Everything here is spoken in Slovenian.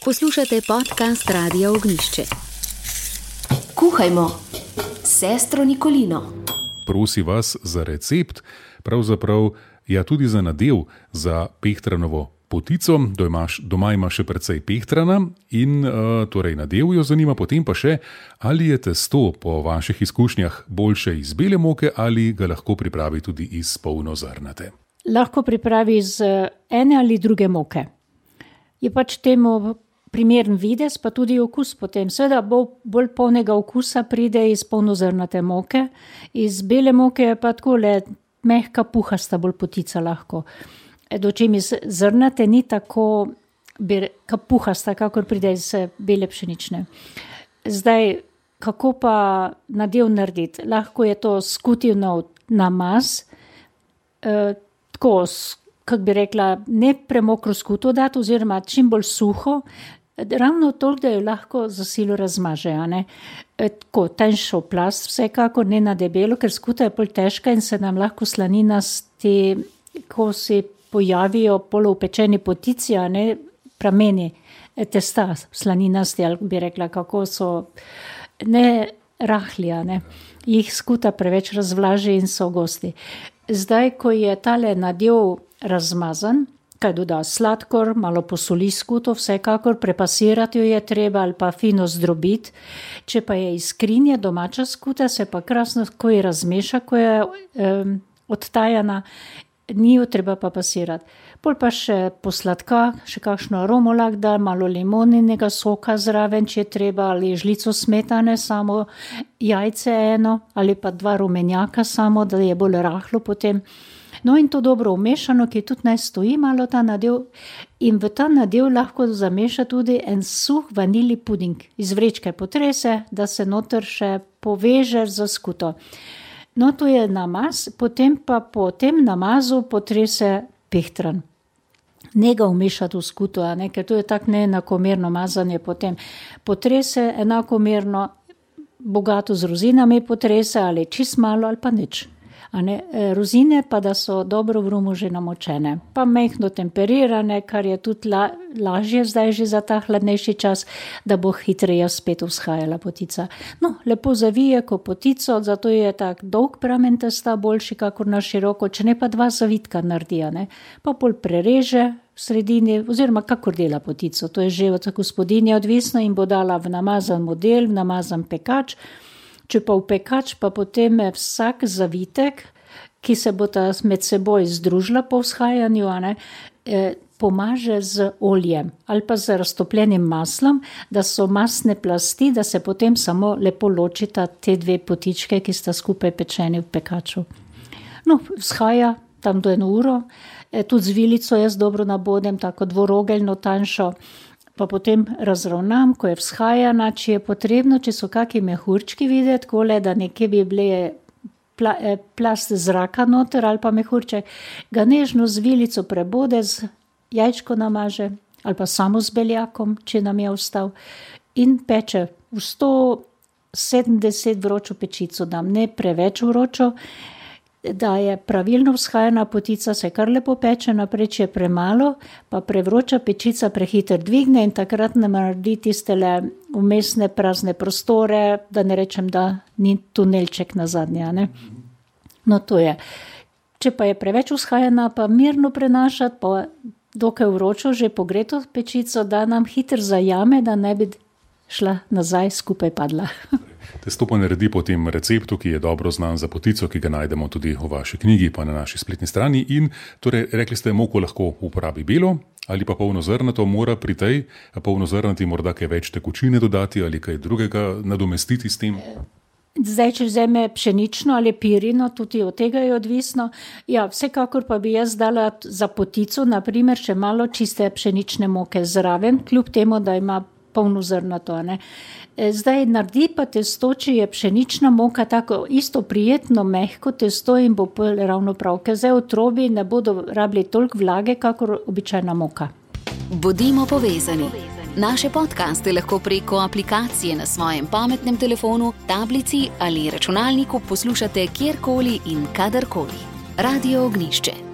Poslušate podcast Radia Ognišče. Kuhajmo s sestro Nikolino. Prosi vas za recept, pravzaprav tudi za nadev za pehtranovo potico. Doma ima še precej pehtrana in torej nadev jo zanima, potem pa še, ali je testo po vaših izkušnjah boljše iz bele moke ali ga lahko pripravi tudi iz polnozrnate. Lahko pripravi iz ene ali druge moke. Je pač temu primeren videz, pa tudi okus potem. Seveda bolj polnega okusa pride iz polnozrnate moke, iz bele moke je pa takole mehka, puhasta bolj potica lahko. Dočim iz zrnate ni tako puhasta, kakor pride iz bele pšenične. Zdaj, kako pa nadev narediti? Lahko je to skutivno namaz, tako, kako bi rekla, ne premokro skuto dati, oziroma čim bolj suho, ravno toliko, da jo lahko za silo razmaže. Tako, tanjšo plast, vsekako ne na debelo, ker skuta je bolj težka in se nam lahko slaninasti, ko se pojavijo poloupečeni potici, prameni testa slaninasti, ali bi rekla, kako so ne rahli, jih skuta preveč razvlaži in so gosti. Zdaj, ko je tale nadev razmazan, kaj doda sladkor, malo posoli skuto, vsekakor prepasirati jo je treba ali pa fino zdrobiti. Če pa je iz skrinje domača skuta, se pa krasno, ko je razmeša, ko je odtajana, ni jo treba pa pasirati. Pol pa še posladka, še kakšno aromo lahko da, malo limoninega soka zraven, če je treba, ali žlico smetane, samo jajce eno, ali pa 2 rumenjaka samo, da je bolj rahlo potem. No in to dobro umešano, ki tudi naj stoji malo ta nadev, in v ta nadev lahko zameša tudi en suh vanilji puding. Iz vrečke potrese, da se noter še poveže za skuto. No, to je namaz, potem pa po tem namazu potrese pehtran. Ne ga umešati v skuto, ker to je tako neenakomerno mazanje potem. Potrese enakomerno, bogato z rozinami potrese, ali čist malo, ali pa nič. Rozine pa, da so dobro v rumu že namočene, pa mehno temperirane, kar je tudi lažje zdaj že za ta hladnejši čas, da bo hitreje spet vzhajala potica. No, lepo zavije ko potico, zato je tak dolg pramen testa boljši kakor na široko, če ne pa 2 zavitka naredi, pa pol prereže v sredini, oziroma kakor dela potico, to je že od gospodinje odvisno in bo dala v namazan model, v namazan pekač. Če pa v pekač, pa potem vsak zavitek, ki se bo ta med seboj združila po vzhajanju, pomaže z oljem ali pa z raztopljenim maslom, da so masne plasti, da se potem samo lepo ločita te 2 potičke, ki sta skupaj pečeni v pekaču. No, vzhaja tam do 1 uro, tudi z vilico jaz dobro nabodem, tako dvorogeljno tanjšo, pa potem razravnam, ko je vzhajana, če je potrebno, če so kakšni mehurčki videti, kole, da nekje bi bile plast zraka noter ali pa mehurček, ga nežno z vilico prebode, z jajčko namaže ali pa samo z beljakom, če nam je ostal, in peče v 170 vročo pečico, dam ne preveč vročo, da je pravilno vzhajana potica, se kar lepo peče naprej, če je premalo, pa prevroča pečica prehiter dvigne in takrat nam naredi tistele vmesne prazne prostore, da ne rečem, da ni tunelček na zadnje. No, to je. Če pa je preveč vzhajana, pa mirno prenašati, pa dokaj vročo, že pogreto pečico, da nam hiter zajame, da ne bi šla nazaj, skupaj padla. Testo pa naredi po tem receptu, ki je dobro znan za potico, ki ga najdemo tudi v vaši knjigi, pa na naši spletni strani. In torej, rekli ste, moko lahko uporabi belo ali pa polnozrnato, mora pri tej polnozrnati morda kaj več tekočine dodati ali kaj drugega nadomestiti s tem? Zdaj, če vzeme pšenično ali pirino, tudi od tega je odvisno. Ja, vsekakor pa bi jaz dala za potico, naprimer, še malo čiste pšenične moke zraven, kljub temu, da ima polnozrnato. Zdaj naredi pa testo, če je pšenična moka tako isto prijetno, mehko testo in bo ravno prav, ker zdaj otrobi ne bodo rabili toliko vlage, kakor običajna moka. Bodimo povezani. Naše podcaste lahko preko aplikacije na svojem pametnem telefonu, tablici ali računalniku poslušate kjerkoli in kadarkoli. Radio Ognišče.